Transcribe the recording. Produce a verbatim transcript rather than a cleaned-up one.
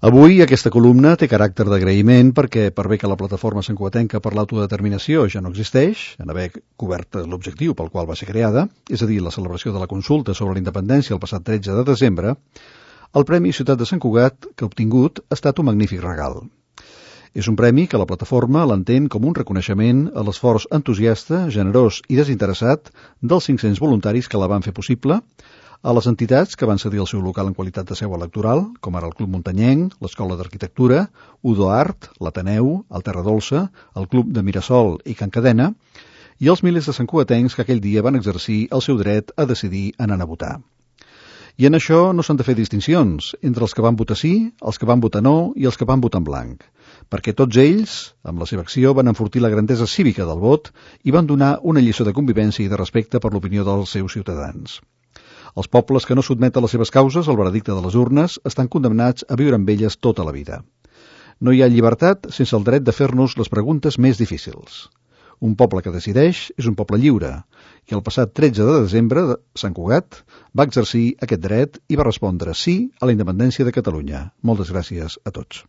Avui aquesta columna té caràcter d'agraïment perquè, per bé que la plataforma santcugatenca per l'autodeterminació ja no existeix, en haver cobert l'objectiu pel qual va ser creada, és a dir, la celebració de la consulta sobre la independència el passat tretze de desembre, el Premi Ciutat de Sant Cugat que ha obtingut ha estat un magnífic regal. És un premi que la plataforma l'entén com un reconeixement a l'esforç entusiasta, generós i desinteressat dels cinc-cents voluntaris que la van fer possible, a les entitats que van cedir el seu local en qualitat de seu electoral, com ara el Club Muntanyenc, l'Escola d'Arquitectura, Udo Art, l'Ateneu, el Terra Dolça, el Club de Mirasol i Can Cadena, i els milers de santcugatencs que aquell dia van exercir el seu dret a decidir anant a votar. I en això no s'han de fer distincions entre els que van votar sí, els que van votar no i els que van votar en blanc, perquè tots ells, amb la seva acció, van enfortir la grandesa cívica del vot i van donar una lliçó de convivència i de respecte per l'opinió dels seus ciutadans. Els pobles que no sotmeten les seves causes al veredicte de les urnes estan condemnats a viure amb elles tota la vida. No hi ha llibertat sense el dret de fer-nos les preguntes més difícils. Un poble que decideix és un poble lliure, i el passat tretze de desembre, Sant Cugat va exercir aquest dret i va respondre sí a la independència de Catalunya. Moltes gràcies a tots.